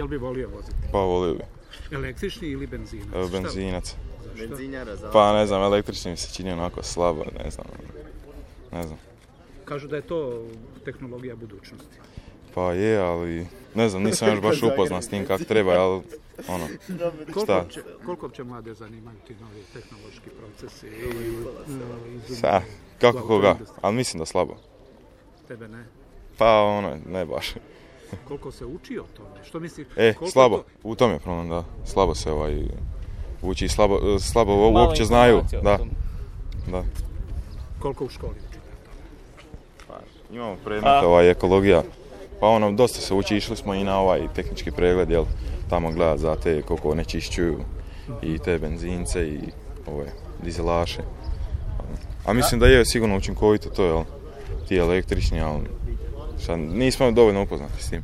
jel bi volio voziti? Pa volio bi. Električni ili benzinac? Benzinac. Benzinjara za... Pa ne znam, električni mi se čini onako slabo, ne znam. Kažu da je to tehnologija budućnosti. Pa je, ali ne znam, nisam još baš upoznat s tim kako treba, ali ono, šta? Koliko će mlade zanimaju ti novi tehnološki procesi? Kako koga, ali mislim da slabo. Tebe ne? Pa ono, ne baš. Koliko se uči o tome? Što misliš? Slabo, u tom je problem, da. Slabo se uči, slabo uopće znaju. Da. Koliko u školi učite? Pa, imamo predmet ekologija. Pa ono, dosta se uči, išli smo i na ovaj tehnički pregled, jel, tamo gledat za te koliko onečišćuju i te benzince i ove dizelaše. A mislim da je sigurno učinkovito to, jel, ti električni, ali nismo dovoljno upoznati s tim.